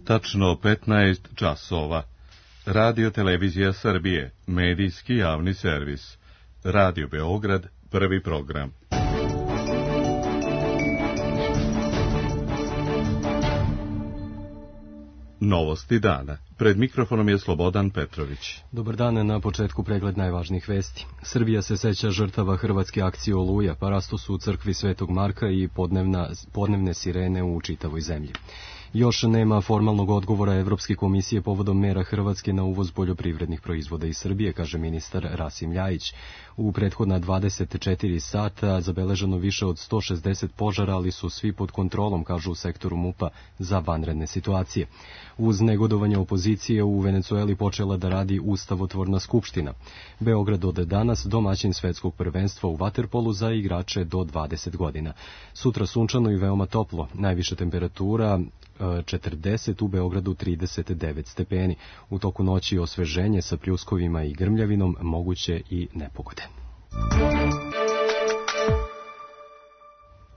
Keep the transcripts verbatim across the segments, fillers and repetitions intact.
Tačno petnaest časova. Radio Televizija Srbije, medijski javni servis. Radio Beograd, prvi program. Novosti dana. Pred mikrofonom je Slobodan Petrović. Dobar dan, na početku pregled najvažnijih vesti. Srbija se seća žrtava hrvatske akcije Oluja, pa rastu su u crkvi Svetog Marka i podnevna, podnevne sirene u čitavoj zemlji. Još nema formalnog odgovora Evropske komisije povodom mera Hrvatske na uvoz poljoprivrednih proizvoda iz Srbije, kaže ministar Rasim Ljajić. U prethodna dvadeset četiri sata zabeleženo više od sto šezdeset požara, ali su svi pod kontrolom, kažu u sektoru MUP-a za vanredne situacije. Uz negodovanje opozicije u Venecueli počela da radi ustavotvorna skupština. Beograd od danas domaćin svetskog prvenstva u vaterpolu za igrače do dvadeset godina. Sutra sunčano i veoma toplo, najviša temperatura četrdeset, u Beogradu trideset devet stepeni. U toku noći osveženje sa pljuskovima i grmljavinom, moguće i nepogode.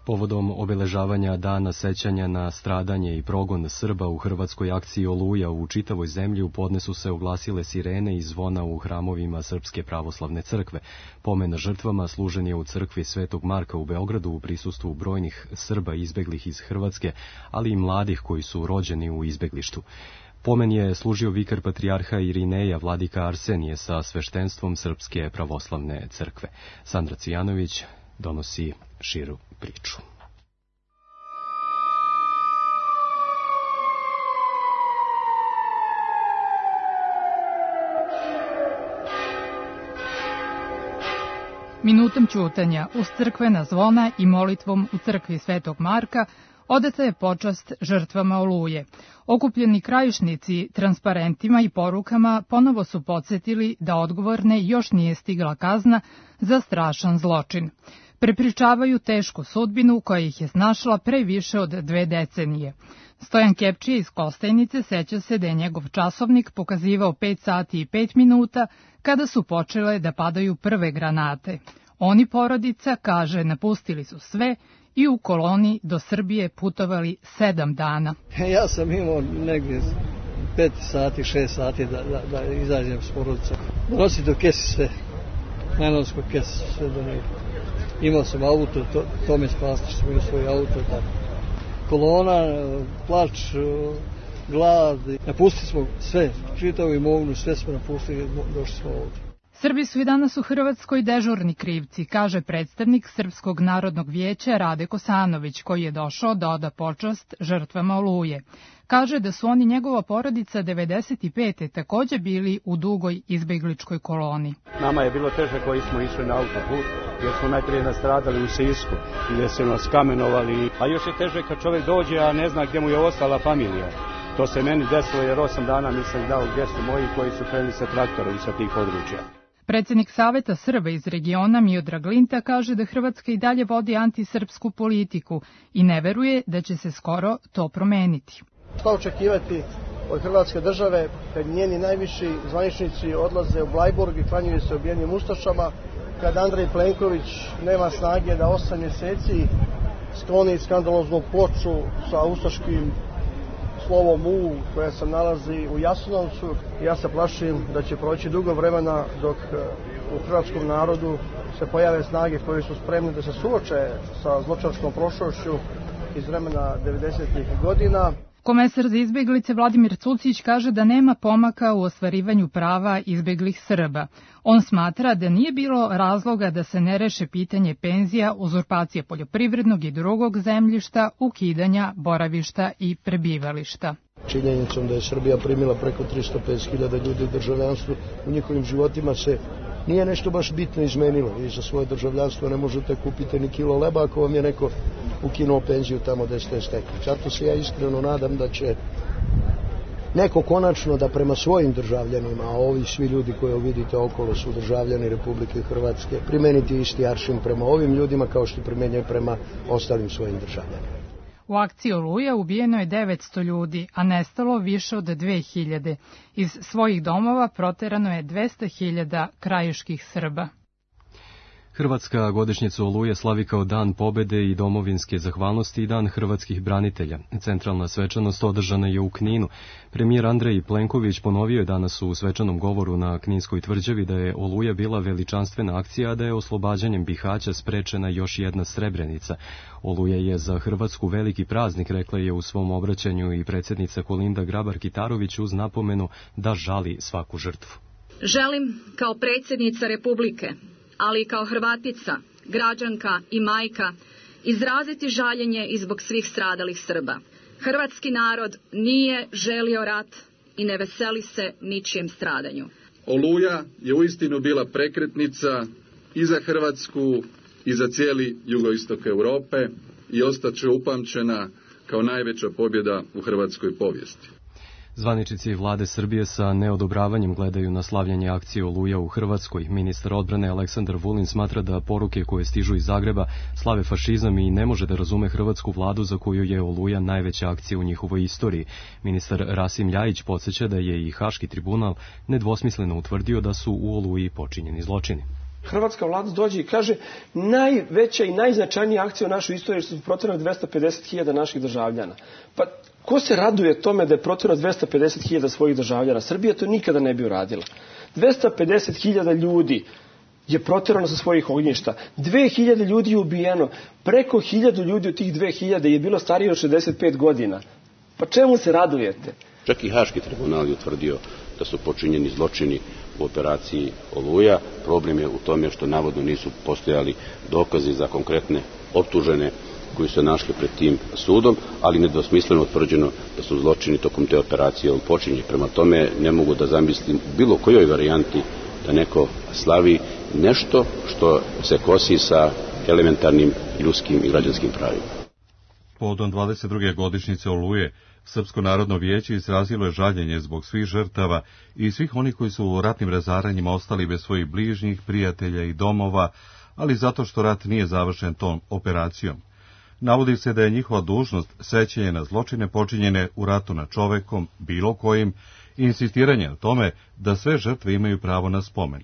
Povodom obeležavanja dana sećanja na stradanje i progon Srba u hrvatskoj akciji Oluja u čitavoj zemlji u podne su se oglasile sirene i zvona u hramovima Srpske pravoslavne crkve. Pomen žrtvama služen je u crkvi Svetog Marka u Beogradu u prisustvu brojnih Srba izbeglih iz Hrvatske, ali i mladih koji su rođeni u izbeglištu. Pomen je služio vikar patrijarha Irineja, vladika Arsenije, sa sveštenstvom Srpske pravoslavne crkve. Sandra Cijanović donosi širu priču. Minutom ćutanja uz crkvena zvona i molitvom u crkvi Svetog Marka odata je počast žrtvama Oluje. Okupljeni krajišnici transparentima i porukama ponovo su podsjetili da odgovorne još nije stigla kazna za strašan zločin. Prepričavaju tešku sudbinu koja ih je snašla pre više od dve decenije. Stojan Kepčija iz Kostajnice seća se da je njegov časovnik pokazivao pet sati i pet minuta kada su počele da padaju prve granate. Oni, porodica, kaže, napustili su sve i u koloni do Srbije putovali sedam dana. Ja sam imao negdje pet sati, šest sati da, da, da izađem s porodicom. Donosi do kesi sve, najnovskog kesi sve do njega. Imao sam auto, to, to me spasti što sam imao svoj auto. Tako. Kolona, plač, glad, napustili smo sve, čitavu imovinu, sve smo napustili, došli smo ovdje. Srbi su i danas u Hrvatskoj dežurni krivci, kaže predstavnik Srpskog narodnog vijeća Rade Kosanović, koji je došao da oda počast žrtvama Oluje. Kaže da su oni njegova porodica devedeset pete takođe bili u dugoj izbegličkoj koloni. Nama je bilo teže koji smo išli na autoput, jer smo najprije nastradali u Sisku, gdje su nas kamenovali, a još je teže kad čovjek dođe, a ne zna gdje mu je ostala familija. To se meni desilo jer osam dana nisam dao gdje su moji koji su krenuli sa traktorom sa tih područja. Predsjednik Saveta Srba iz regiona Miodrag Linta kaže da Hrvatska i dalje vodi antisrpsku politiku i ne veruje da će se skoro to promeniti. Šta očekivati od Hrvatske države kad njeni najviši zvaničnici odlaze u Blajburg i klanjuju se obijenim ustašama, kad Andrej Plenković nema snage da osam mjeseci skloni skandaloznu ploču sa ustaškim slovom U koja se nalazi u Jasenovcu. Ja se plašim da će proći dugo vremena dok u hrvatskom narodu se pojave snage koje su spremne da se suoče sa zločinačkom prošlošću iz vremena devedesetih godina. Komesar za izbeglice Vladimir Cucić kaže da nema pomaka u ostvarivanju prava izbeglih Srba. On smatra da nije bilo razloga da se ne reše pitanje penzija, uzurpacije poljoprivrednog i drugog zemljišta, ukidanja boravišta i prebivališta. Činjenicom da je Srbija primila preko tristo pedeset hiljada ljudi u državljanstvu, u njihovim životima se nije nešto baš bitno izmenilo. Vi za svoje državljanstvo ne možete kupiti ni kilo leba ako vam je neko ukinuo penziju tamo gde ste stekli. Zato se ja iskreno nadam da će neko konačno da prema svojim državljanima, a ovi svi ljudi koje vidite okolo su državljani Republike Hrvatske, primeniti isti aršin prema ovim ljudima kao što primenjaju prema ostalim svojim državljanima. U akciji Oluja ubijeno je devetsto ljudi, a nestalo više od dve hiljade. Iz svojih domova proterano je dvesta hiljada krajiških Srba. Hrvatska godišnjicu Oluje slavi kao Dan pobede i domovinske zahvalnosti i Dan hrvatskih branitelja. Centralna svečanost održana je u Kninu. Premijer Andrej Plenković ponovio je danas u svečanom govoru na Kninskoj tvrđavi da je Oluja bila veličanstvena akcija, a da je oslobađanjem Bihaća sprečena još jedna Srebrenica. Oluja je za Hrvatsku veliki praznik, rekla je u svom obraćanju i predsjednica Kolinda Grabar-Kitarović uz napomenu da žali svaku žrtvu. Želim kao predsjednica Republike, ali i kao Hrvatica, građanka i majka, izraziti žaljenje i zbog svih stradalih Srba. Hrvatski narod nije želio rat i ne veseli se ničijem stradanju. Oluja je uistinu bila prekretnica i za Hrvatsku i za cijeli jugoistok Europe i ostaće upamćena kao najveća pobjeda u hrvatskoj povijesti. Zvaničnici vlade Srbije sa neodobravanjem gledaju na slavljanje akcije Oluja u Hrvatskoj. Ministar odbrane Aleksandar Vulin smatra da poruke koje stižu iz Zagreba slave fašizam i ne može da razume hrvatsku vladu za koju je Oluja najveća akcija u njihovoj istoriji. Ministar Rasim Ljajić podsjeća da je i Haški tribunal nedvosmisleno utvrdio da su u Oluji počinjeni zločini. Hrvatska vlada dođe i kaže najveća i najznačajnija akcija u našoj istoriji su protjerano dvesta pedeset hiljada naših državljana. Pa ko se raduje tome da je protjerano dvesta pedeset hiljada svojih državljana? Srbija to nikada ne bi uradila. dvesta pedeset hiljada ljudi je protjerano sa svojih ognjišta. dve hiljade ljudi je ubijeno. Preko hiljadu ljudi od tih dve hiljade je bilo starije od šezdeset pet godina. Pa čemu se radujete? Čak i Haški tribunal je utvrdio da su počinjeni zločini u operaciji Oluja. Problem je u tome što navodno nisu postojali dokazi za konkretne optužene koji su našli pred tim sudom, ali nedvosmisleno utvrđeno da su zločini tokom te operacije počinjeni. Prema tome ne mogu da zamislim bilo kojoj varijanti da neko slavi nešto što se kosi sa elementarnim ljudskim i građanskim pravima. Povodom dvadeset druge godišnjice Oluje, Srpsko narodno vijeće izrazilo je žaljenje zbog svih žrtava i svih onih koji su u ratnim razaranjima ostali bez svojih bližnjih, prijatelja i domova, ali zato što rat nije završen tom operacijom. Navodi se da je njihova dužnost sećanje na zločine počinjene u ratu nad čovekom, bilo kojim, i insistiranje na tome da sve žrtve imaju pravo na spomen.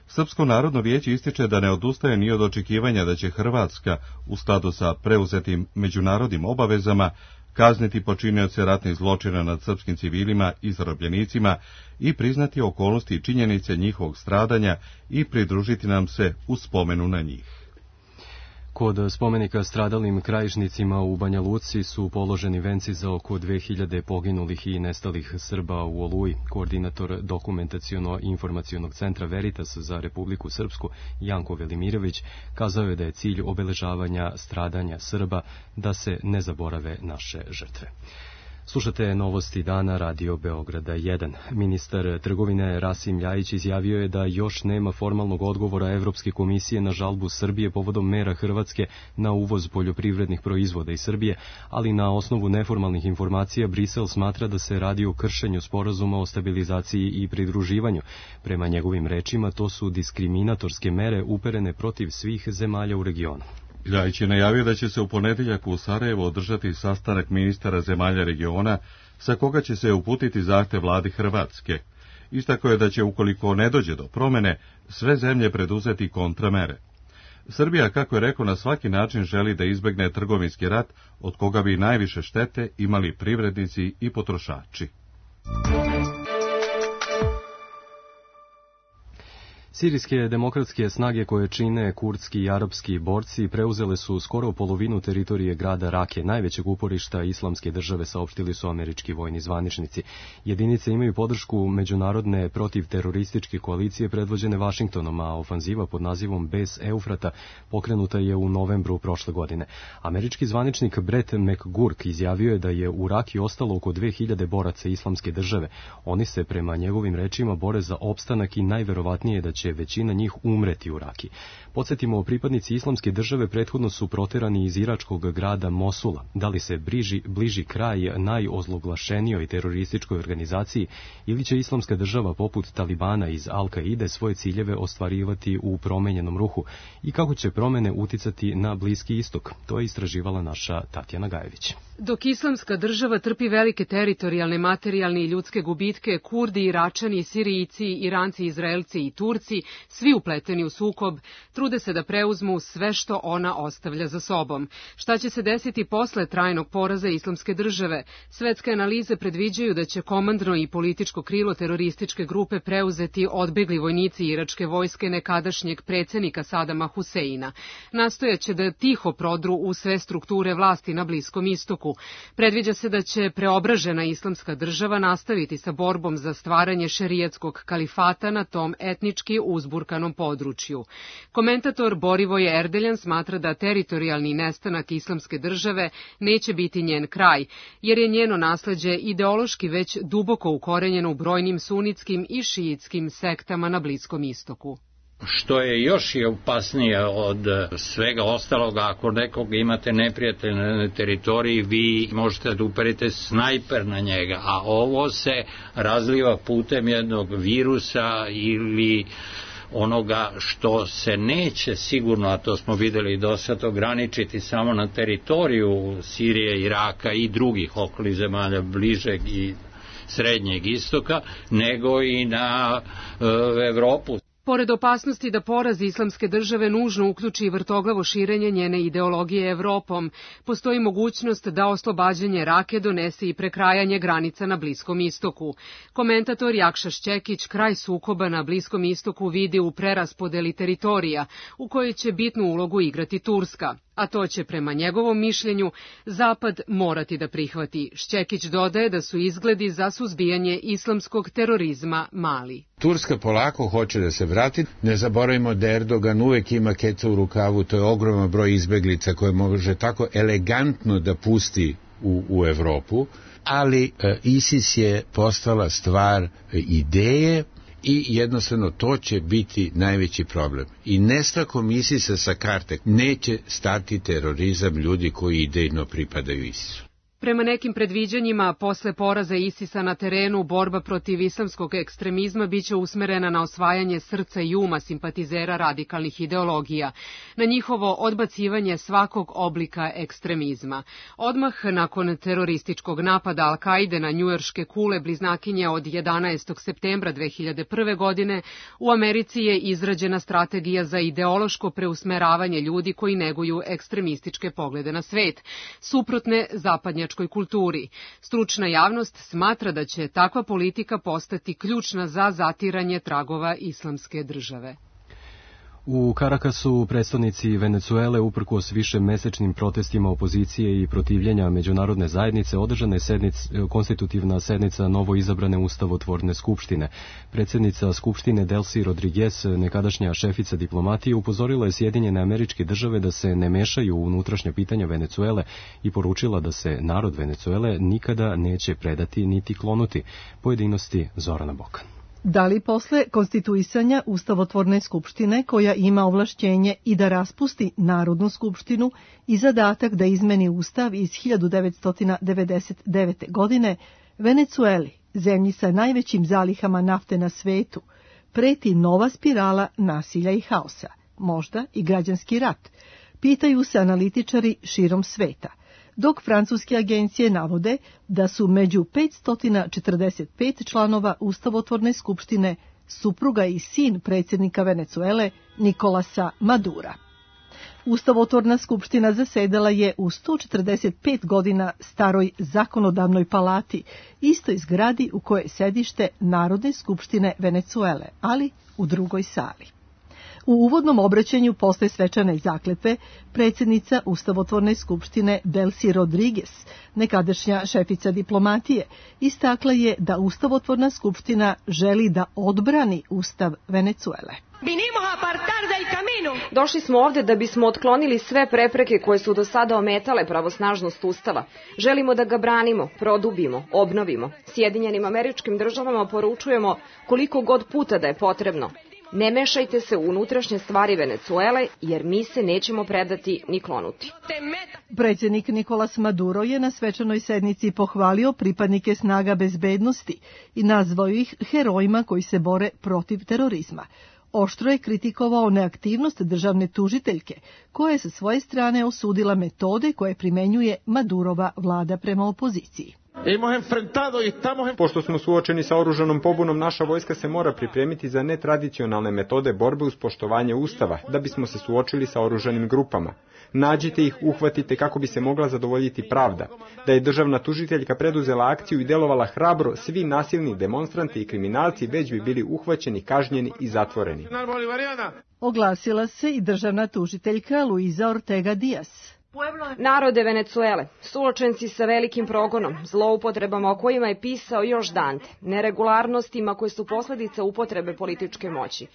Srpsko narodno vijeće ističe da ne odustaje ni od očekivanja da će Hrvatska, u skladu sa preuzetim međunarodnim obavezama, kazniti počinioce ratnih zločina nad srpskim civilima i zarobljenicima i priznati okolnosti i činjenice njihovog stradanja i pridružiti nam se u spomenu na njih. Kod spomenika stradalim krajišnicima u Banja Luci su položeni venci za oko dve hiljade poginulih i nestalih Srba u Oluji. Koordinator dokumentaciono-informacionog centra Veritas za Republiku Srpsku, Janko Velimirović, kazao je da je cilj obeležavanja stradanja Srba da se ne zaborave naše žrtve. Slušate novosti dana Radio Beograda jedan. Ministar trgovine Rasim Ljajić izjavio je da još nema formalnog odgovora Evropske komisije na žalbu Srbije povodom mera Hrvatske na uvoz poljoprivrednih proizvoda iz Srbije, ali na osnovu neformalnih informacija Brisel smatra da se radi o kršenju sporazuma o stabilizaciji i pridruživanju. Prema njegovim rečima, to su diskriminatorske mere uperene protiv svih zemalja u regionu. Ljajić je najavio da će se u ponedjeljak u Sarajevo održati sastanak ministara zemalja regiona sa koga će se uputiti zahtev vladi Hrvatske. Istakao je da će, ukoliko ne dođe do promene, sve zemlje preduzeti kontramere. Srbija, kako je rekao, na svaki način želi da izbegne trgovinski rat od koga bi najviše štete imali privrednici i potrošači. Sirijske demokratske snage koje čine kurdski i arapski borci preuzele su skoro polovinu teritorije grada Rake, najvećeg uporišta islamske države, saopštili su američki vojni zvaničnici. Jedinice imaju podršku međunarodne protivterorističke koalicije predvođene Vašingtonom, a ofanziva pod nazivom Bez Eufrata pokrenuta je u novembru prošle godine. Američki zvaničnik Brett McGurk izjavio je da je u Raki ostalo oko dve hiljade boraca islamske države. Oni se, prema njegovim rečima, bore za opstanak i najverovatnije da će će većina njih umreti u Raki. Podsjetimo, pripadnici islamske države prethodno su proterani iz iračkog grada Mosula. Da li se bliži, bliži kraj najozloglašenijoj terorističkoj organizaciji ili će islamska država poput Talibana iz Al-Kaide svoje ciljeve ostvarivati u promenjenom ruhu i kako će promene uticati na Bliski istok? To je istraživala naša Tatjana Gajević. Dok islamska država trpi velike teritorijalne, materijalne i ljudske gubitke, Kurdi, Iračani, Sirijci, Iranci, Izraelci i Turci vojnici, svi upleteni u sukob, trude se da preuzmu sve što ona ostavlja za sobom. Šta će se desiti posle trajnog poraza Islamske države? Svetske analize predviđaju da će komandno i političko krilo terorističke grupe preuzeti odbegli vojnici iračke vojske nekadašnjeg predsjednika Sadama Huseina. Nastojaće da tiho prodru u sve strukture vlasti na Bliskom istoku. Predviđa se da će preobražena Islamska država nastaviti sa borbom za stvaranje šerijatskog kalifata na tom etnički uzburkanom području. Komentator Borivoje Erdeljan smatra da teritorijalni nestanak Islamske države neće biti njen kraj, jer je njeno nasleđe ideološki već duboko ukorenjeno u brojnim sunitskim i šiitskim sektama na Bliskom istoku. Što je još i opasnije od svega ostaloga, ako nekog imate neprijatelja na teritoriji, vi možete da uperite snajper na njega, a ovo se razliva putem jednog virusa ili onoga što se neće sigurno, a to smo videli do sad, ograničiti samo na teritoriju Sirije, Iraka i drugih okolnih zemalja bližeg i srednjeg istoka, nego i na e, Evropu. Pored opasnosti da poraz Islamske države nužno uključi vrtoglavo širenje njene ideologije Evropom, postoji mogućnost da oslobađanje Rake donese i prekrajanje granica na Bliskom istoku. Komentator Jakša Šćekić kraj sukoba na Bliskom istoku vidi u preraspodeli teritorija, u kojoj će bitnu ulogu igrati Turska, a to će prema njegovom mišljenju Zapad morati da prihvati. Šćekić dodaje da su izgledi za suzbijanje islamskog terorizma mali. Turska polako hoće da se vrati. Ne zaboravimo da Erdogan uvek ima keca u rukavu, to je ogroman broj izbeglica koje može tako elegantno da pusti u, u Evropu, ali e, ISIS je postala stvar e, ideje i jednostavno to će biti najveći problem. I nestankom ISIS-a sa karte neće stati terorizam ljudi koji idejno pripadaju ISIS-u. Prema nekim predviđanjima, posle poraza ISIS-a na terenu, borba protiv islamskog ekstremizma biće usmerena na osvajanje srca i uma simpatizera radikalnih ideologija, na njihovo odbacivanje svakog oblika ekstremizma. Odmah nakon terorističkog napada Al-Kaide na njujorške kule bliznakinje od jedanaestog septembra dve hiljade prve. godine, u Americi je izrađena strategija za ideološko preusmeravanje ljudi koji neguju ekstremističke poglede na svet, suprotne zapadnjačkoj kulturi. Stručna javnost smatra da će takva politika postati ključna za zatiranje tragova Islamske države. U Karakasu predstavnici Venecuele uprkos višemesečnim protestima opozicije i protivljenja međunarodne zajednice održana je sednic, konstitutivna sednica novoizabrane ustavotvorne skupštine. Predsjednica skupštine Delcy Rodriguez, nekadašnja šefica diplomatije, upozorila je Sjedinjene Američke Države da se ne mešaju u unutrašnja pitanja Venecuele i poručila da se narod Venecuele nikada neće predati niti klonuti. Pojedinosti Zorana Bokan. Da li posle konstituisanja Ustavotvorne skupštine, koja ima ovlašćenje i da raspusti Narodnu skupštinu i zadatak da izmeni Ustav iz hiljadu devetsto devedeset devete. godine, Venecueli, zemlji sa najvećim zalihama nafte na svetu, preti nova spirala nasilja i haosa, možda i građanski rat, pitaju se analitičari širom sveta, dok francuske agencije navode da su među petsto četrdeset pet članova Ustavotvorne skupštine supruga i sin predsjednika Venecuele Nikolasa Madura. Ustavotvorna skupština zasedala je u sto četrdeset pet godina staroj zakonodavnoj palati, istoj zgradi u kojoj je sedište Narodne skupštine Venecuele, ali u drugoj sali. U uvodnom obraćanju posle svečane zakletve, predsjednica Ustavotvorne skupštine Delcy Rodriguez, nekadašnja šefica diplomatije, istakla je da Ustavotvorna skupština želi da odbrani Ustav Venecuele. Došli smo ovde da bismo otklonili sve prepreke koje su do sada ometale pravosnažnost Ustava. Želimo da ga branimo, produbimo, obnovimo. Sjedinjenim Američkim Državama poručujemo koliko god puta da je potrebno. Ne mešajte se u unutrašnje stvari Venecuele, jer mi se nećemo predati ni klonuti. Predsjednik Nikolas Maduro je na svečanoj sednici pohvalio pripadnike snaga bezbednosti i nazvao ih herojima koji se bore protiv terorizma. Oštro je kritikovao neaktivnost državne tužiteljke, koja je sa svoje strane osudila metode koje primenjuje Madurova vlada prema opoziciji. Pošto smo suočeni sa oružanom pobunom, naša vojska se mora pripremiti za netradicionalne metode borbe uz poštovanje Ustava, da bismo se suočili sa oružanim grupama. Nađite ih, uhvatite kako bi se mogla zadovoljiti pravda. Da je državna tužiteljka preduzela akciju i delovala hrabro, svi nasilni demonstranti i kriminalci već bi bili uhvaćeni, kažnjeni i zatvoreni. Oglasila se i državna tužiteljka Luisa Ortega Diaz. Narode Venecuele, suočenci sa velikim progonom, zloupotrebama o kojima je pisao još Dante, neregularnostima koje su posljedica upotrebe političke moći.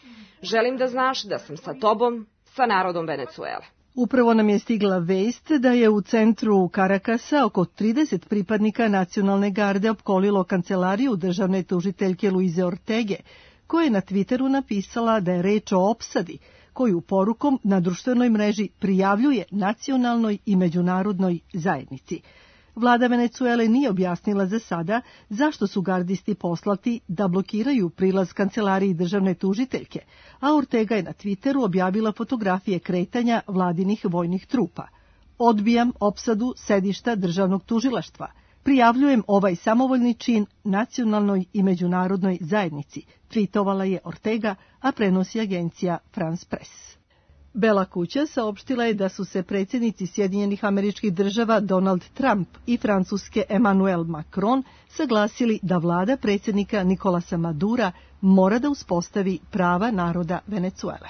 Želim da znaš da sam sa tobom, sa narodom Venecuele. Upravo nam je stigla vest da je u centru Karakasa oko trideset pripadnika nacionalne garde opkolilo kancelariju državne tužiteljke Luize Ortege, koja je na Twitteru napisala da je reč o opsadi, koju porukom na društvenoj mreži prijavljuje nacionalnoj i međunarodnoj zajednici. Vlada Venecuele nije objasnila za sada zašto su gardisti poslati da blokiraju prilaz kancelariji državne tužiteljke, a Ortega je na Twitteru objavila fotografije kretanja vladinih vojnih trupa. Odbijam opsadu sedišta državnog tužilaštva. Prijavljujem ovaj samovoljni čin nacionalnoj i međunarodnoj zajednici, tvitovala je Ortega, a prenosi agencija France Press. Bela kuća saopštila je da su se predsjednici Sjedinjenih Američkih Država Donald Trump i Francuske Emmanuel Macron saglasili da vlada predsjednika Nicolasa Madura mora da uspostavi prava naroda Venecuele.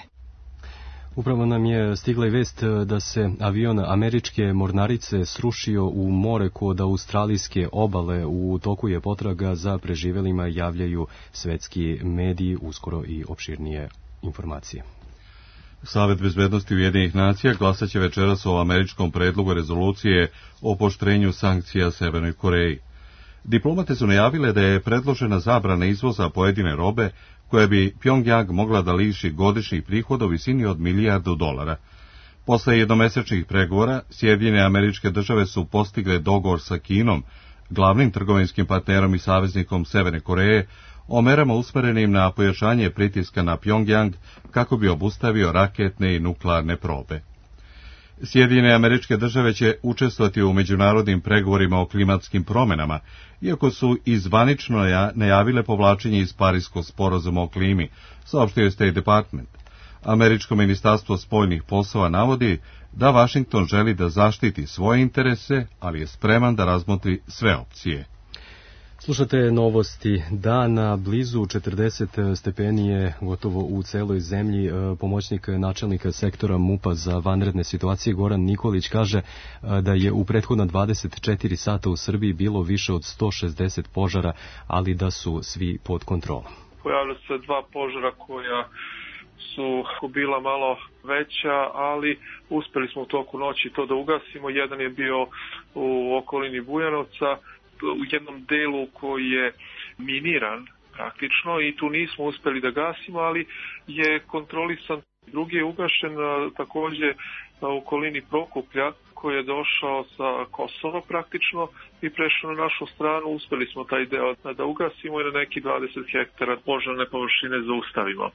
Upravo nam je stigla i vest da se avion američke mornarice srušio u more kod australijske obale. U toku je potraga za preživelima, javljaju svetski mediji, uskoro i opširnije informacije. Savet bezbednosti Ujedinjenih nacija glasat će večeras o američkom predlogu rezolucije o pooštrenju sankcija Severnoj Koreji. Diplomate su najavile da je predložena zabrana izvoza pojedine robe koja bi Pjongjang mogla da liši godišnjih prihoda u visini od milijardu dolara. Posle jednomesečnih pregovora, Sjedinjene Američke Države su postigle dogovor sa Kinom, glavnim trgovinskim partnerom i saveznikom Severne Koreje, o merama usmerenim na pojačanje pritiska na Pjongjang kako bi obustavio raketne i nuklearne probe. Sjedinjene Američke Države će učestvovati u međunarodnim pregovorima o klimatskim promenama, iako su izvanično najavile povlačenje iz Pariskog sporazuma o klimi, saopštio je State Department. Američko ministarstvo spoljnih poslova navodi da Vašington želi da zaštiti svoje interese, ali je spreman da razmotri sve opcije. Slušate novosti dana, blizu četrdeset stepeni je gotovo u celoj zemlji. Pomoćnik načelnika sektora MUP-a za vanredne situacije Goran Nikolić kaže da je u prethodna dvadeset četiri sata u Srbiji bilo više od sto šezdeset požara, ali da su svi pod kontrolom. Pojavila se dva požara koja su bila malo veća, ali uspeli smo u toku noći to da ugasimo. Jedan je bio u okolini Bujanovca, u jednom delu koji je miniran praktično i tu nismo uspeli da gasimo, ali je kontrolisan. Drugi je ugašen takođe u okolini Prokuplja koji je došao sa Kosova praktično i prešao na našu stranu. Uspeli smo taj deo da ugasimo i na neki dvadeset hektara požarne površine zaustavimo.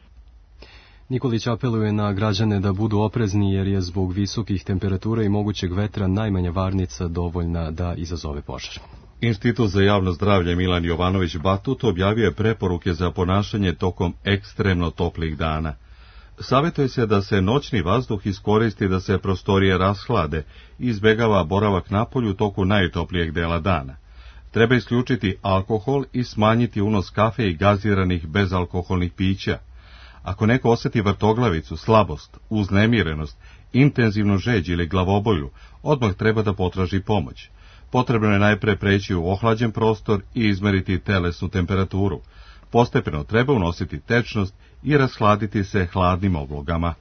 Nikolić apeluje na građane da budu oprezni jer je zbog visokih temperatura i mogućeg vetra najmanja varnica dovoljna da izazove požar. Institut za javno zdravlje Milan Jovanović Batut objavio je preporuke za ponašanje tokom ekstremno toplih dana. Savjetuje se da se noćni vazduh iskoristi da se prostorije rashlade i izbegava boravak napolju u toku najtoplijeg dela dana. Treba isključiti alkohol i smanjiti unos kafe i gaziranih bezalkoholnih pića. Ako neko osjeti vrtoglavicu, slabost, uznemirenost, intenzivnu žeđ ili glavobolju, odmah treba da potraži pomoć. Potrebno je najpre preći u ohlađen prostor i izmeriti telesnu temperaturu. Postepeno treba unositi tečnost i rashladiti se hladnim oblogama.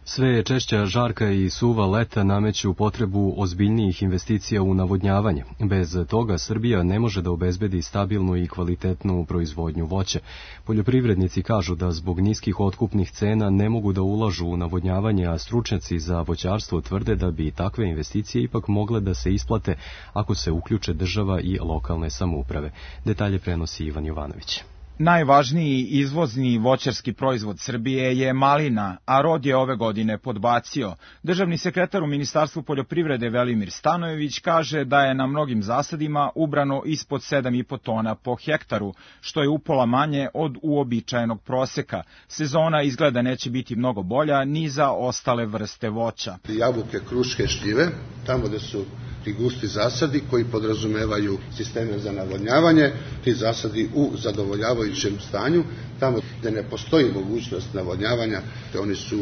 Sve je češća žarka i suva leta nameću potrebu ozbiljnijih investicija u navodnjavanje. Bez toga Srbija ne može da obezbedi stabilnu i kvalitetnu proizvodnju voća. Poljoprivrednici kažu da zbog niskih otkupnih cena ne mogu da ulažu u navodnjavanje, a stručnjaci za voćarstvo tvrde da bi takve investicije ipak mogle da se isplate ako se uključe država i lokalne samouprave. Detalje prenosi Ivan Jovanović. Najvažniji izvozni voćarski proizvod Srbije je malina, a rod je ove godine podbacio. Državni sekretar u Ministarstvu poljoprivrede Velimir Stanojević kaže da je na mnogim zasadima ubrano ispod sedam i po tona po hektaru, što je upola manje od uobičajenog proseka. Sezona izgleda neće biti mnogo bolja ni za ostale vrste voća. Jabuke, kruške, šljive, tamo gde su ti gusti zasadi koji podrazumevaju sisteme za navodnjavanje, ti zasadi u zadovoljavajućem stanju, tamo gde ne postoji mogućnost navodnjavanja, te oni su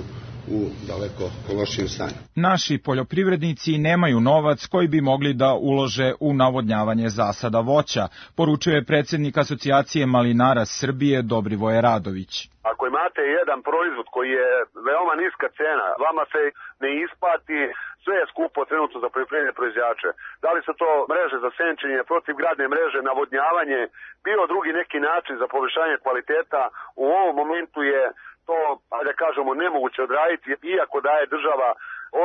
u daleko lošijem stanju. Naši poljoprivrednici nemaju novac koji bi mogli da ulože u navodnjavanje zasada voća, poručuje predsjednik Asocijacije malinara Srbije Dobrivoje Radović. Ako imate jedan proizvod koji je veoma niska cena, vama se ne isplati, sve je skupo trenutno za poljoprivredne proizvođače. Da li su to mreže za senčenje, protivgradne mreže, navodnjavanje, bilo drugi neki način za poboljšanje kvaliteta, u ovom momentu je to, ajde da kažemo, nemoguće odraditi, iako daje država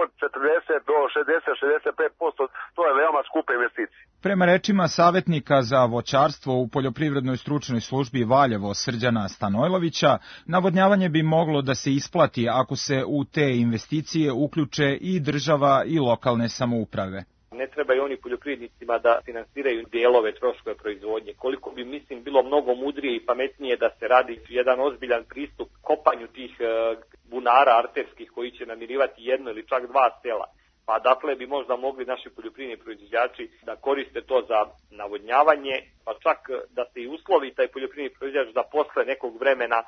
od četrdeset do šezdeset do šezdeset pet posto, to je veoma skupa investicija. Prema rečima savjetnika za voćarstvo u Poljoprivrednoj stručnoj službi Valjevo Srđana Stanojlovića, navodnjavanje bi moglo da se isplati ako se u te investicije uključe i država i lokalne samouprave. Ne treba i oni poljoprivrednicima da finansiraju dijelove troškove proizvodnje. Koliko bi, mislim, bilo mnogo mudrije i pametnije da se radi jedan ozbiljan pristup kopanju tih bunara arterskih koji će namirivati jedno ili čak dva sela. Pa dakle bi možda mogli naši poljoprivredni proizvođači da koriste to za navodnjavanje, pa čak da se i uslovi taj poljoprivredni proizvođač da posle nekog vremena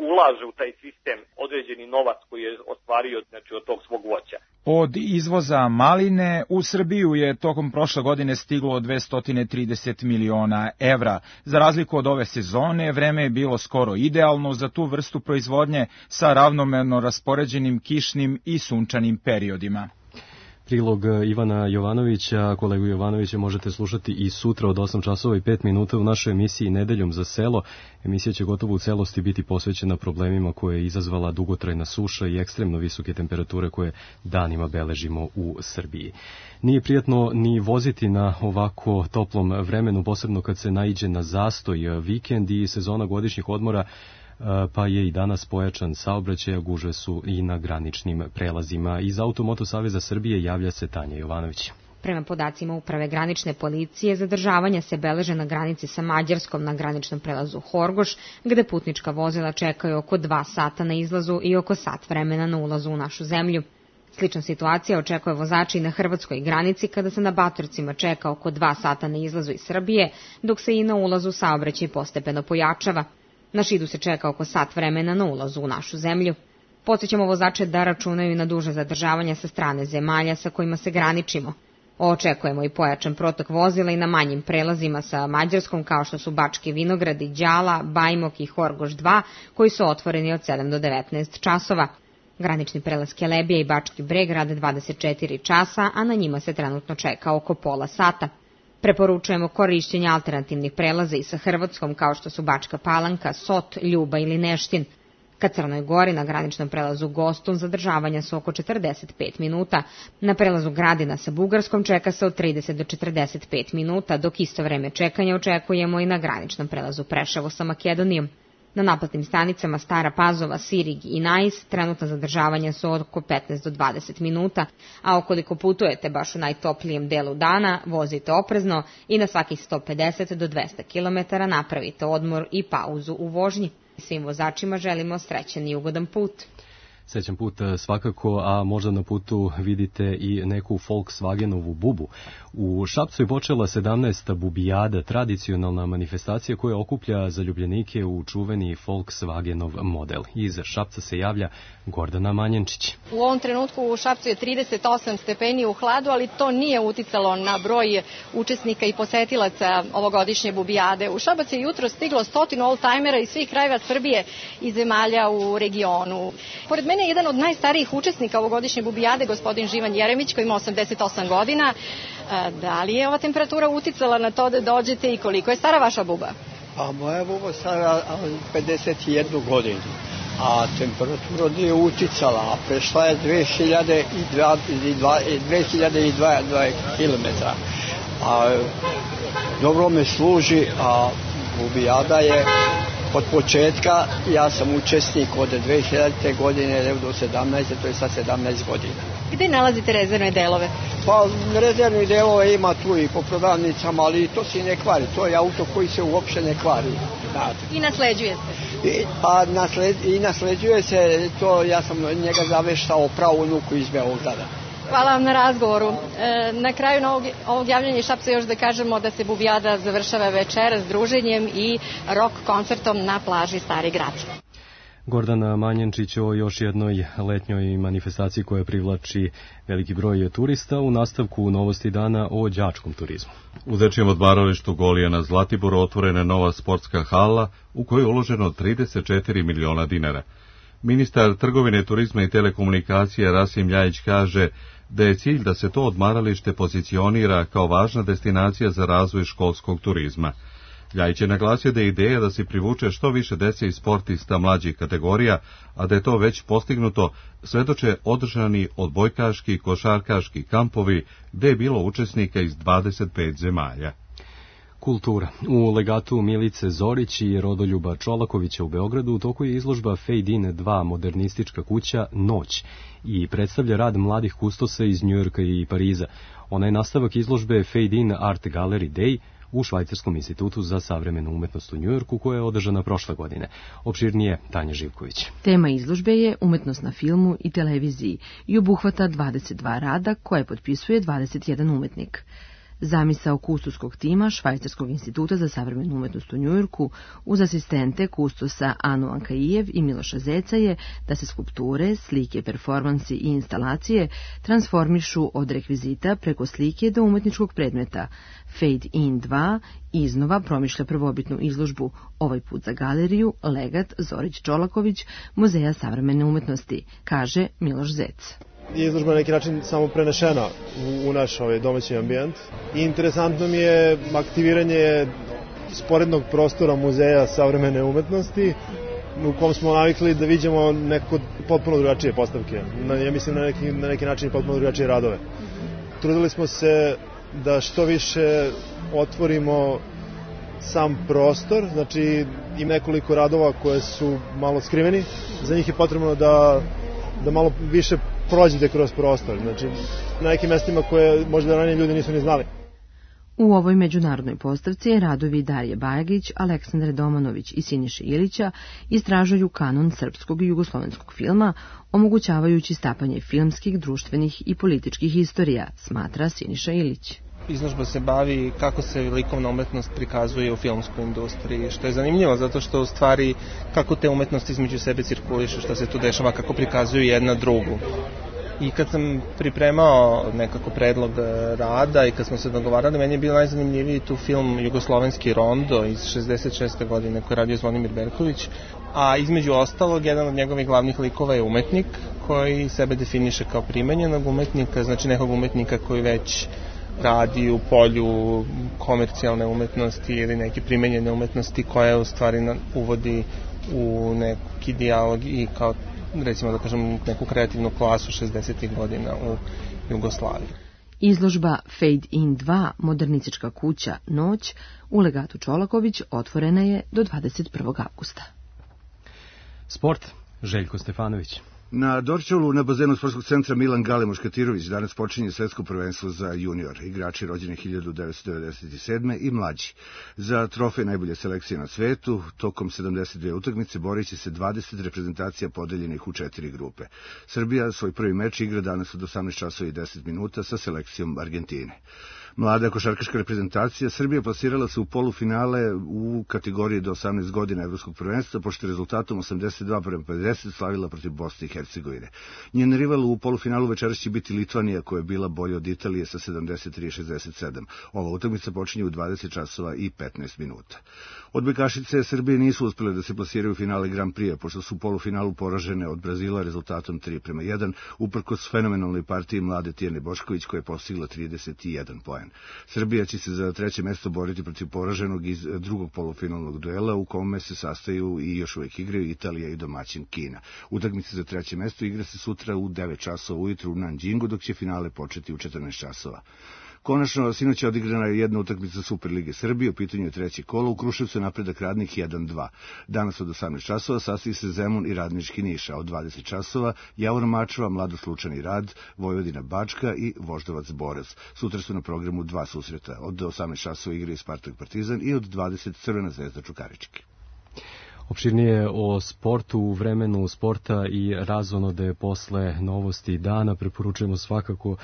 ulaže u taj sistem određeni novac koji je ostvario, znači, od tog svog voća. Od izvoza maline u Srbiju je tokom prošle godine stiglo dvesta trideset miliona evra. Za razliku od ove sezone, vreme je bilo skoro idealno za tu vrstu proizvodnje sa ravnomerno raspoređenim kišnim i sunčanim periodima. Prilog Ivana Jovanovića, kolegu Jovanovića možete slušati i sutra od osam časova i pet minuta u našoj emisiji Nedeljom za selo. Emisija će gotovo u celosti biti posvećena problemima koje je izazvala dugotrajna suša i ekstremno visoke temperature koje danima beležimo u Srbiji. Nije prijatno ni voziti na ovako toplom vremenu, posebno kad se naiđe na zastoj. Vikend i sezona godišnjih odmora, pa je i danas pojačan saobraćaj, a gužve su i na graničnim prelazima. Iz Automoto Saveza Srbije javlja se Tanja Jovanović. Prema podacima Uprave granične policije, zadržavanja se beleže na granici sa Mađarskom na graničnom prelazu Horgoš, gde putnička vozila čekaju oko dva sata na izlazu i oko sat vremena na ulazu u našu zemlju. Slična situacija očekuje vozači i na hrvatskoj granici, kada se na Batorcima čeka oko dva sata na izlazu iz Srbije, dok se i na ulazu saobraćaj postepeno pojačava. Na Šidu se čeka oko sat vremena na ulazu u našu zemlju. Podsjećamo vozače da računaju na duže zadržavanja sa strane zemalja sa kojima se graničimo. Očekujemo i pojačan protok vozila i na manjim prelazima sa Mađarskom, kao što su Bački Vinogradi, Đala, Bajmok i Horgoš dva, koji su otvoreni od sedam do devetnaest časova. Granični prelaz Kelebija i Bački Breg rade dvadeset četiri časa, a na njima se trenutno čeka oko pola sata. Preporučujemo korišćenje alternativnih prelaza i sa Hrvatskom, kao što su Bačka Palanka, Sot, Ljuba ili Neštin. Ka Crnoj Gori na graničnom prelazu Gostun zadržavanja su oko četrdeset pet minuta. Na prelazu Gradina sa Bugarskom čeka se od trideset do četrdeset pet minuta, dok isto vreme čekanja očekujemo i na graničnom prelazu Preševo sa Makedonijom. Na naplatnim stanicama Stara Pazova, Sirig i Najs trenutna zadržavanja su oko petnaest do dvadeset minuta, a ukoliko putujete baš u najtoplijem delu dana, vozite oprezno i na svakih sto pedeset do dvesta kilometara napravite odmor i pauzu u vožnji. Svim vozačima želimo srećan i ugodan put. Srećan put svakako, a možda na putu vidite i neku Volkswagenovu bubu. U Šapcu je počela sedamnaesta bubijada, tradicionalna manifestacija koja okuplja zaljubljenike u čuveni Volkswagenov model. Iz Šapca se javlja Gordana Manjenčić. U ovom trenutku u Šapcu je trideset osam stepeni u hladu, ali to nije uticalo na broj učesnika i posetilaca ovogodišnje bubijade. U Šabac je jutro stiglo stotinu oldtimera iz svih krajeva Srbije i zemalja u regionu. Pored mene je jedan od najstarijih učesnika ovogodišnje bubijade, gospodin Živan Jeremić, koji ima osamdeset osam godina. Da li je ova temperatura uticala na to da dođete i koliko je stara vaša buba? A moja buba stara pedeset jednu godinu, a temperatura nije uticala, a prešla je dve hiljade i dva kilometra. A dobro me služi, a bubijada je od početka. Ja sam učesnik od dve hiljadite. godine do sedamnaeste. to je sad sedamnaest godina. Gde nalazite rezervne delove? Pa rezervni delove ima tu i po prodavnicama, ali to se ne kvari. To je auto koji se uopšte ne kvari. Da. I nasleđuje se? I, pa nasled, i nasleđuje se, to ja sam njega zaveštao pravu unuku iz Beograda. Hvala vam na razgovoru. E, na kraju ovog, ovog javljanja iz Šapca još da kažemo da se Bubijada završava večeras druženjem i rock koncertom na plaži Stari Grad. Gordana Manjenčić o još jednoj letnjoj manifestaciji koja privlači veliki broj turista u nastavku novosti dana o đačkom turizmu. U dečijem odmaralištu Golija na Zlatiboru otvorena nova sportska hala u kojoj je uloženo trideset četiri miliona dinara. Ministar trgovine, turizma i telekomunikacije Rasim Ljajić kaže da je cilj da se to odmaralište pozicionira kao važna destinacija za razvoj školskog turizma. Ljajić je naglasio da je ideja da se privuče što više dece i sportista mlađih kategorija, a da je to već postignuto, svedoče održani odbojkaški i košarkaški kampovi gde je bilo učesnika iz dvadeset pet zemalja. Kultura. U legatu Milice Zorić i Rodoljuba Čolakovića u Beogradu u toku je izložba Fade In dva modernistička kuća Noć i predstavlja rad mladih kustosa iz Njujorka i Pariza. Ona je nastavak izložbe Fade In Art Gallery Day u Švajcarskom institutu za savremenu umetnost u Njujorku koja je održana prošle godine. Opširnije Tanja Živković. Tema izložbe je umetnost na filmu i televiziji i obuhvata dvadeset dva rada koje potpisuje dvadeset jedan umetnik. Zamisao kustoskog tima Švajcarskog instituta za savremenu umetnost u Njujorku uz asistente kustosa Anu Ankaijev i Miloša Zeca je da se skulpture, slike, performansi i instalacije transformišu od rekvizita preko slike do umetničkog predmeta. Fade In dva iznova promišlja prvobitnu izložbu, ovaj put za galeriju Legat Zorić Čolaković Muzeja savremene umetnosti, kaže Miloš Zec. Izložba na neki način samo prenešena u, u naš ovaj domaći ambijent. I interesantno mi je aktiviranje sporednog prostora Muzeja savremene umetnosti u kom smo navikli da vidimo neko potpuno drugačije postavke. Na, ja mislim na neki, na neki način potpuno drugačije radove. Trudili smo se da što više otvorimo sam prostor, znači i nekoliko radova koje su malo skriveni. Za njih je potrebno da, da malo više prođite kroz prostor, znači na nekim mestima koje možda ranije ljudi nisu ni znali. U ovoj međunarodnoj postavci radovi Darije Bajagić, Aleksandre Domanović i Siniše Ilića istražuju kanon srpskog i jugoslovenskog filma, omogućavajući stapanje filmskih, društvenih i političkih istorija, smatra Siniša Ilić. Izložba se bavi kako se likovna umetnost prikazuje u filmskoj industriji, što je zanimljivo zato što u stvari kako te umetnosti između sebe cirkulišu, što se tu dešava, kako prikazuju jedna drugu. I kad sam pripremao nekako predlog rada i kad smo se dogovarali, meni je bio najzanimljiviji tu film Jugoslovenski rondo iz šezdeset šeste. godine koji je radio Zvonimir Berković, a između ostalog jedan od njegovih glavnih likova je umetnik koji sebe definiše kao primenjenog umetnika, znači nekog umetnika koji već radi u polju komercijalne umetnosti ili neke primenjene umetnosti koja u stvari uvodi u neki dijalog i kao recimo da kažem neku kreativnu klasu šezdesetih godina u Jugoslaviji. Izložba Fade In dva modernistička kuća Noć u legatu Čolaković otvorena je do dvadeset prvog avgusta. Sport, Željko Stefanović. Na Dorćolu na bazenu sportskog centra Milan Gale Muškatirović danas počinje svetsko prvenstvo za junior, igrači rođeni hiljadu devetsto devedeset sedme. i mlađi. Za trofej najbolje selekcije na svetu, tokom sedamdeset dve utakmice borit će se dvadeset reprezentacija podeljenih u četiri grupe. Srbija svoj prvi meč igra danas od osamnaest časova i deset minuta sa selekcijom Argentine. Mlada košarkaška reprezentacija Srbije plasirala se u polufinale u kategoriji do osamnaest godina evropskog prvenstva, pošto je rezultatom osamdeset dva prema pedeset slavila protiv Bosne i Hercegovine. Njen rival u polufinalu večeras će biti Litvanija, koja je bila bolja od Italije sa sedamdeset tri šezdeset sedam. Ova utakmica počinje u dvadeset časova i petnaest minuta. Odbojkašice Srbije nisu uspjele da se plasiraju u finale Grand Prix, pošto su u polufinalu poražene od Brazila rezultatom tri prema jedan, uprkos fenomenalnoj partiji mlade Tijane Bošković koja je postigla trideset jedan poen. Partizan. Srbija će se za treće mesto boriti protiv poraženog iz drugog polufinalnog duela u kome se sastaju i još uvijek igraju Italija i domaćin Kina. Utakmica za treće mesto igra se sutra u devet časova ujutru u Nanjingu, dok će finale početi u četrnaest časova. Konačno, sinoć je odigrana jedna utakmica Superlige Srbije, u pitanju je treće kolo, u Kruševcu napredak Radnik jedan dva. Danas od osamnaest časova sastoji se Zemun i Radnički Niš, a od dvadeset časova Javor Mačva, Mladost Lučani Rad, Vojvodina Bačka i Voždovac Borac. Sutra su na programu dva susreta, od osamnaest časova igraju Spartak Partizan i od dvadeset Crvena zvezda Čukarički. Opširnije o sportu, vremenu sporta i razonode posle novosti dana. Preporučujemo svakako uh,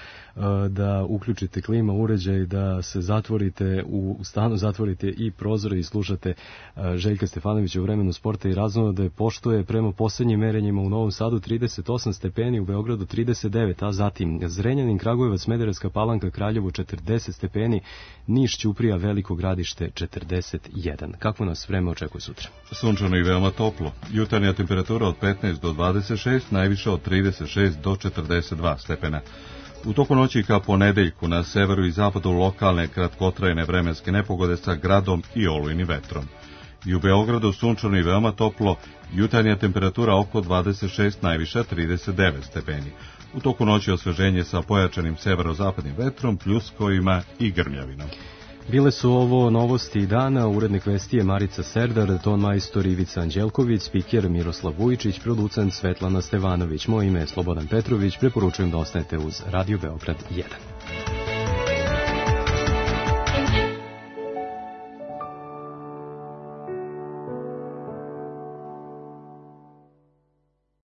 da uključite klima uređaj, da se zatvorite u stanu, zatvorite i prozore i slušate uh, Željka Stefanovića u vremenu sporta i razonode, pošto je prema poslednjim merenjima u Novom Sadu trideset osam stepeni, u Beogradu trideset devet, a zatim Zrenjanin, Kragujevac, Smederevska Palanka, Kraljevo četrdeset stepeni, Niš, Ćuprija, Veliko Gradište četrdeset jedan. Kako nas vreme očekuje sutra? Sunčano i veoma toplo. Jutarnja temperatura od petnaest do dvadeset šest, najviša od trideset šest do četrdeset dva stepena. U toku noći ka ponedeljku na severu i zapadu lokalne kratkotrajne vremenske nepogode sa gradom i olujnim vetrom. I u Beogradu sunčano i veoma toplo, jutarnja temperatura oko dvadeset šest, najviša trideset devet stepeni. U toku noći osveženje sa pojačanim severozapadnim vetrom, pljuskovima i grmljavinom. Bile su ovo novosti dana, urednik vesti je Marica Serdar, ton majstor Ivica Anđelković, spiker Miroslav Vujičić, producent Svetlana Stevanović. Moje ime je Slobodan Petrović, preporučujem da ostanete uz Radio Beograd jedan.